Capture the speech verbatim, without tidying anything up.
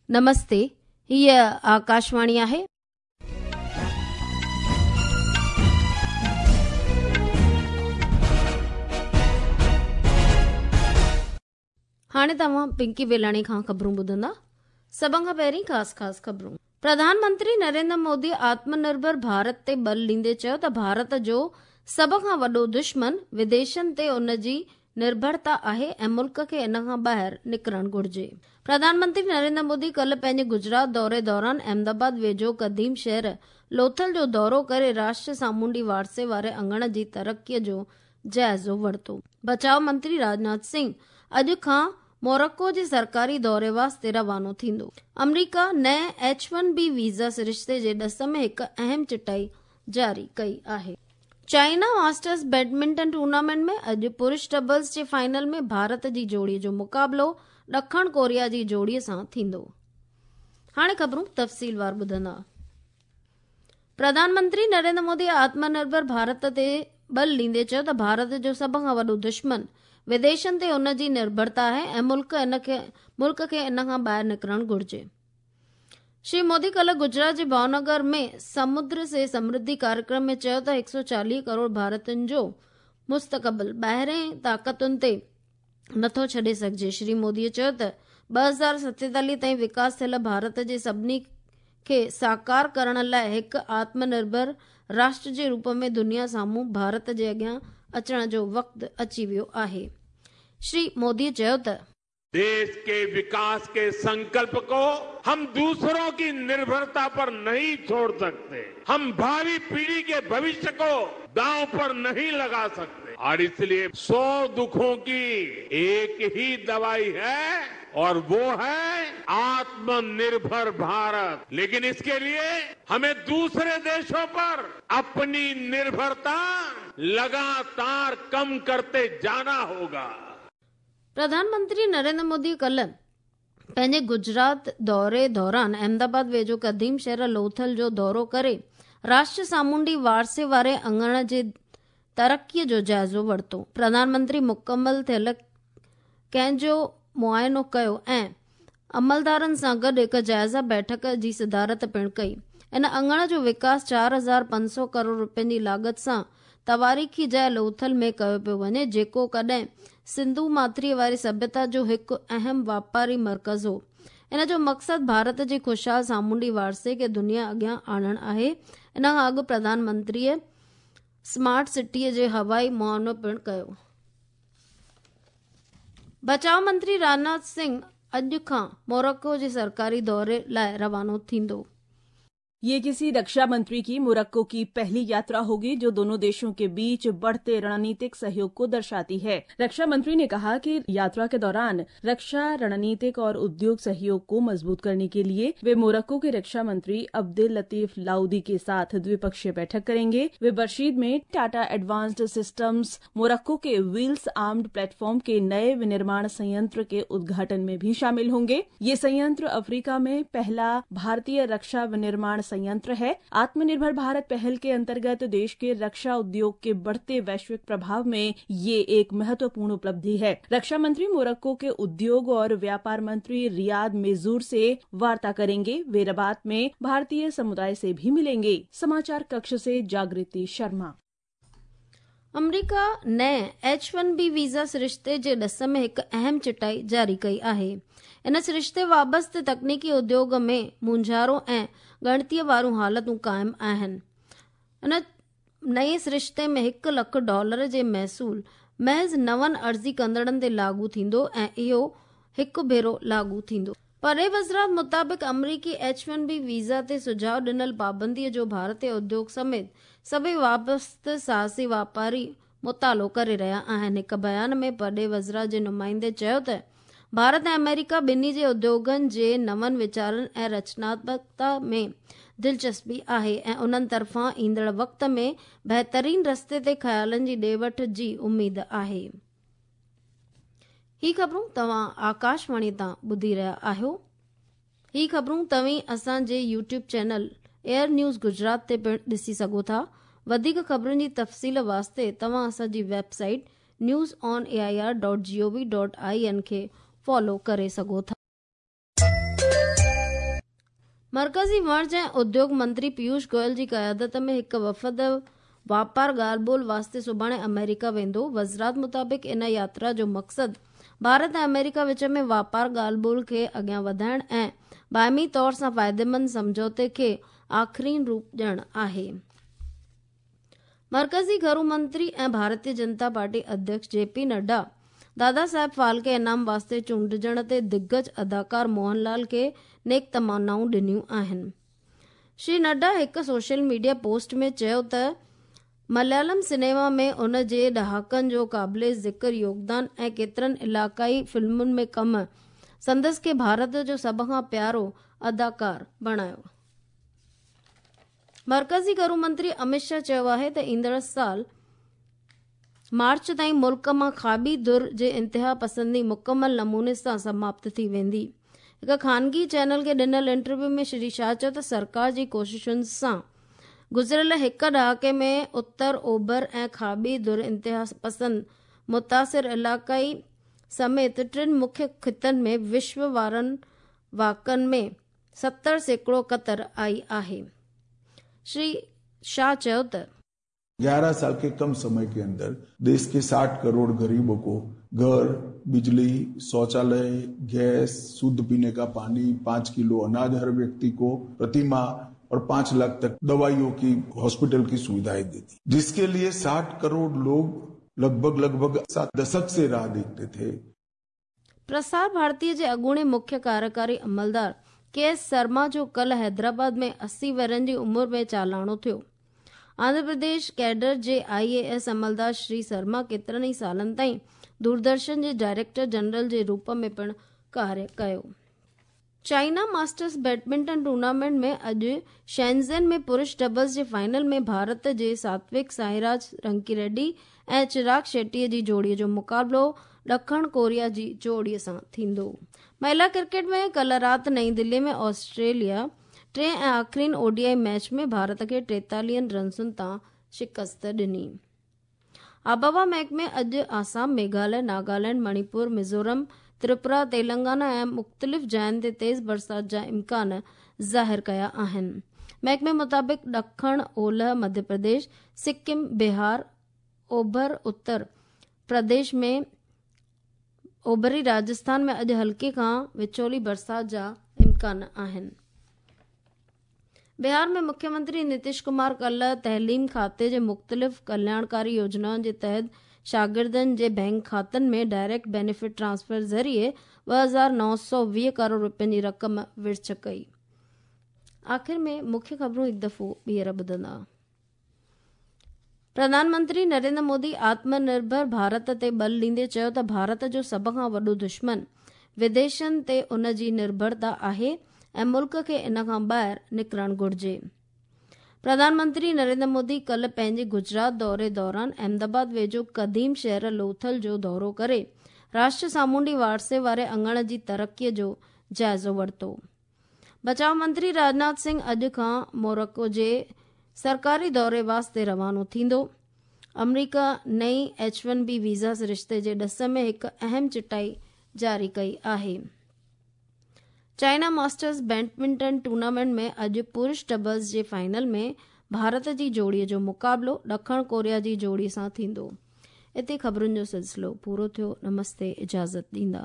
नमस्ते, हीअ आकाशवाणी आहे। हाणे तव्हां पिंकी बेलाणी खां ख़बरूं ॿुधंदा। सभ खां पहिरीं ख़ासि ख़ासि ख़बरूं। प्रधानमंत्री नरेंद्र मोदी आत्मनिर्भर भारत ते बल ॾींदे चयो त भारत जो सभ खां वॾो दुश्मन विदेशनि ते उन जी निर्भरता आहे ऐं मुल्क खे इन खां ॿाहिरि निकिरणु घुर्जे। प्रधानमंत्री नरेंद्र मोदी कल्ह पंहिंजे गुजरात दौरे दौरान अहमदाबाद वेझो क़दीम शहर लोथल जो दौरो करे राष्ट्रीय सामुंडी वारसे वारे अंगण जी तरक़ीअ जो जाइज़ो वरितो। बचाव मंत्री राजनाथ सिंह अॼु खां मोरक्को जे सरकारी दौरे वास्ते रवानो थींदो। अमरीका नए एच वन बी वीज़ा सरिश्ते जे ॾस में हिकु अहम चिटाई जारी कई आहे। चाइना मास्टर्स बैडमिंटन टूर्नामेंट में अॼु पुरुष डबल्स जे फाइनल में भारत जी जोड़ीअ जो मुक़ाबिलो ॾखण कोरिया जी जोड़ीअ सां थींदो। हाणे ख़बरूं तफ़सीलवार ॿुधंदा। प्रधानमंत्री नरेंद्र मोदी आत्मनिर्भर भारत ते बल ॾींदे चयो त भारत जो सभ खां वॾो दुश्मन विदेशनि ते उन जी निर्भरता आहे ऐं मुल्क इन खे मुल्क खे इन खां ॿाहिरि निकिरणु घुर्जे। श्री मोदी कल्ह गुजरात जे भावनगर में समुद्र से समृद्धि कार्यक्रम में चयो त हिकु सौ चालीह करोड़ भारतीयुनि जो मुस्तक़बिल ॿाहिरें ताक़तुनि ते नथो छॾे सघिजे। श्री मोदीअ चयो त ॿ हज़ार सतेतालीह ताईं विकास थियल भारत जे सभिनी खे साकार करण लाइ हिकु आत्मनिर्भर राष्ट्र जे रूप में दुनिया साम्हूं भारत जे अॻियां अचण जो वक़्तु अची वियो आहे। श्री मोदीअ चयो त देश के विकास के संकल्प को हम दूसरों की निर्भरता पर नहीं छोड़ सकते। हम भावी पीढ़ी के भविष्य को दांव पर नहीं लगा सकते और इसलिए सौ दुखों की एक ही दवाई है और वो है आत्मनिर्भर भारत। लेकिन इसके लिए हमें दूसरे देशों पर अपनी निर्भरता लगातार कम करते जाना होगा। प्रधानमंत्री नरेंद्र मोदी कल्ह पंहिंजे गुजरात दौरे दौरान अहमदाबाद वेझो क़दीम शहर लोथल जो दौरो करे राष्ट्रीय सामुंडी वारसे वारे अंगण जे तरक़ीअ जो जाइज़ो वरितो। प्रधानमंत्री मुकमल थियल कंहिंजो मुआइनो कयो ऐं अमलदारनि सां गॾु हिकु जाइज़ा बैठक जी सदारत पिणु कई। इन अंगण जो विकास चार हज़ार पंज सौ करोड़ रुपयनि जी लागत सां तवारीख़ी जाइ लोथल में कयो पियो वञे, जेको कॾहिं सिंधु माथरीअ वारी सभ्यता जो हिकु अहम वापारी मर्कज़ हो। इन जो मक़सदु भारत जे ख़ुशहाल सामुंडी वारसे खे दुनिया अॻियां आणणु आहे। इन खां अॻु प्रधानमंत्रीअ स्मार्ट सिटीअ जे हवाई मुआइनो पिणु कयो। बचाव मंत्री राजनाथ सिंह अॼु खां मोरक्को जे सरकारी दौरे लाइ रवानो थींदो। ये किसी रक्षा मंत्री की मोरक्को की पहली यात्रा होगी, जो दोनों देशों के बीच बढ़ते रणनीतिक सहयोग को दर्शाती है। रक्षा मंत्री ने कहा कि यात्रा के दौरान रक्षा, रणनीतिक और उद्योग सहयोग को मजबूत करने के लिए वे मोरक्को के रक्षा मंत्री अब्दुल लतीफ लाउदी के साथ द्विपक्षीय बैठक करेंगे। वे बर्शीद में टाटा एडवांस्ड सिस्टम्स मोरक्को के व्हील्स आर्म्ड प्लेटफॉर्म के नए विनिर्माण संयंत्र के उद्घाटन में भी शामिल होंगे। ये संयंत्र अफ्रीका में पहला भारतीय रक्षा विनिर्माण संयंत्र है। आत्मनिर्भर भारत पहल के अंतर्गत देश के रक्षा उद्योग के बढ़ते वैश्विक प्रभाव में ये एक महत्वपूर्ण उपलब्धि है। रक्षा मंत्री मोरक्को के उद्योग और व्यापार मंत्री रियाद मेजूर से वार्ता करेंगे। वे रबात में भारतीय समुदाय से भी मिलेंगे। समाचार कक्ष से जागृति शर्मा। अमरीका नए एच वन बी वीज़ा सरिश्ते जे ॾस में हिकु अहम चिटाई जारी कई आहे। इन सरिश्ते वाबस्ते तकनीकी उद्योग में मूंझारो ऐं ॻणतीअ वारियूं हालतूं क़ाइमु आहिनि। इन नए सरिश्ते में हिकु लख डॉलर जे महसूल महज़ नवनि अर्ज़ी कंदड़नि ते लागू थींदो ऐं इहो हिकु भेरो लागू थींदो। परे वज़ारत मुताबिक़ अमरीकी एच वन बी वीज़ा ते सुझाव ॾिनल पाबंदीअ जो भारतीय उद्योग समेत सभई वाबस्ते साहसी वापारी मुतालो करे रहिया आहिनि। हिकु बयान में परॾेही वज़ारत जे नुमाइंदे चयो त भारत ऐं अमेरिका ॿिन्ही जे उद्योगनि जे नवनि वीचारनि ऐं रचनात्मकता में दिलचस्पी आहे ऐं उन्हनि तरफ़ां ईंदड़ वक़्त में बहितरीन रस्ते ते ख़यालनि जी ॾे वठ जी उमेद आहे। ही ख़बरूं तव्हां आकाशवाणी तां ॿुधी रहिया आहियो। ही ख़बरूं तव्हीं असांजे YouTube channel air news Gujarat ते पिणु ॾिसी सघो था। वधीक ख़बरुनि जी तफ़सील वास्ते तव्हां असांजी website news on A I R dot G O V dot I N खे फॉलो करे सघो था। मर्कज़ी वणज ऐं उद्योग मंत्री पीयूष गोयल जी क़यादत में हिकु वफ़द वापार ॻाल्हि ॿोल वास्ते सुभाणे अमेरिका वेंदो। वज़ारत मुताबिक़ इन यात्रा जो मक़सदु भारत ऐं अमेरिका विच में वापार ॻाल्हि ॿोल खे अॻियां वधाइण ऐं बाइमी तौर सां फ़ाइदेमंद सम्झौते खे आख़िरीन रूप ॾियणु आहे। मर्कज़ी घरू मंत्री ऐं भारतीय जनता पार्टी अध्यक्ष जे पी नड्डा दादा साहेब फाल्के इनाम वास्ते चूंडिजण ते दिग्गज अदाकार मोहनलाल खे नेक तमन्नाऊं ॾिनियूं आहिनि। श्री नड्डा हिकु सोशल मीडिया पोस्ट में चयो त मलयालम सिनेमा में उन जे ॾहाकनि जो क़ाबिले ज़िक्र योगदान ऐं केतिरनि इलाइक़ाई फ़िल्मुनि में कमु संदसि खे भारत जो सभ खां प्यारो अदाकार बणायो। मर्कज़ी घरू मंत्री अमित शाह चयो आहे त ईंदड़ साल मार्च ताईं मुल्क मां खाॿी धुर जे इंतिहा पसंदी मुकमल नमूने सां समाप्त थी वेंदी। हिकु ख़ानगी चैनल खे ॾिनल इंटरव्यू में श्री शाह चयो त सरकार जी कोशिशुनि सां गुज़िरियल हिकु ॾहाके में उत्तर ओभर ऐं खाॿी धुर इंतिहा पसंद मुतासिर इलाइक़ाई समेत टिनि मुख्य ख़ितनि में विश्व वारनि वाकनि में सत्तर सैकड़ो कतर आई आहे। श्री शाह चयो त ग्यारह साल के कम समय के अंदर देश के साठ करोड़ गरीबों को घर, बिजली, शौचालय, गैस, शुद्ध पीने का पानी, पांच किलो अनाज हर व्यक्ति को प्रति माह और पांच लाख तक दवाइयों की, हॉस्पिटल की सुविधाएं दी थी, जिसके लिए साठ करोड़ लोग लगभग लगभग सात दशक से राह देखते थे। प्रसार भारती जे अॻूणे मुख्य कार्यकारी अमलदार के एस शर्मा जो कल हैदराबाद में अस्सी वरनि जी उमिरि में चालाणो थियो। आंध्र प्रदेश कैडर जे आई ए एस अमलदार श्री शर्मा केतिरनि ई सालनि ताईं दूरदर्शन जे डायरेक्टर जनरल जे रूप में पिणु कार्य कयो। चाइना मास्टर्स बैडमिंटन टूर्नामेंट में अॼु शेंज़ेन में पुरुष डबल्स जे फाइनल में भारत जे सात्विक साईराज रंकी रेड्डी ऐं चिराग शेट्टीअ जी जोड़ीअ जो मुक़ाबिलो ॾखण कोरिया जी जोड़ीअ सां थींदो। महिला क्रिकेट में कल राति नई दिल्ली में ऑस्ट्रेलिया टे ऐं आख़िरीन ओडीआई मैच में भारत खे टेतालीहनि रन्सुनि तां शिकस्त ॾिनी। आबहवा महकमे अॼु आसाम, मेघालय, नागालैंड, मणिपुर, मिज़ोरम, त्रिपुरा, तेलंगाना ऐं मुख़्तलिफ़ जाइनि ते तेज़ बरसाति जा इम्कान ज़ाहिर कया आहिनि। महकमे मुताबिक़ ॾखण ओलह मध्य प्रदेश, सिक्किम, बिहार, ओभर उत्तर प्रदेश में ओभरी राजस्थान में अॼु हल्के खां विचोली बरसाति जा इम्कान आहिनि। बिहार में मुख्यमंत्री नीतीश कुमार कल तइलीम खाते जे मुख़्तलिफ़ कल्याणकारी योजनाउनि जे तहत शागिर्दनि जे बैंक खातनि में डायरेक्ट बेनिफिट ट्रांसफर ज़रिए ॿ हज़ार नौ सौ वीह करोड़ रुपयनि जी रक़म विर्छ कई। आख़िर में मुख्य ख़बरूं हिकु दफ़ो ॿीहर ॿुधंदा। प्रधानमंत्री नरेंद्र मोदी आत्मनिर्भर भारत ते बल ॾींदे चयो त भारत जो सभ खां वॾो दुश्मन विदेशनि ते उन जी निर्भरता आहे ऐं मुल्क खे इन खां ॿाहिरि निकिरणु घुर्जे। प्रधानमंत्री नरेंद्र मोदी कल पंहिंजे गुजरात दौरे दौरान अहमदाबाद वेझो क़दीम शहर लोथल जो दौरो करे राष्ट्र सामुंडी वारसे वारे अंगण जी तरक़ीअ जो जाइज़ो वरितो। बचाव मंत्री राजनाथ सिंह अॼु खां मोरक्को जे सरकारी दौरे वास्ते रवानो थींदो। अमरीका नई एच वन बी वीज़ा सरिश्ते जे ॾस में हिकु अहम चिटाई जारी कई आहे। चाइना मास्टर्स बैडमिंटन टूर्नामेंट में अॼु पुरुष डबल्स जे फाइनल में भारत जी जोड़ीअ जो मुक़ाबिलो ॾखण कोरिया जी जोड़ी सां थींदो। हिते ख़बरुनि जो सिलसिलो पूरो थियो। नमस्ते, इजाज़त ॾींदा।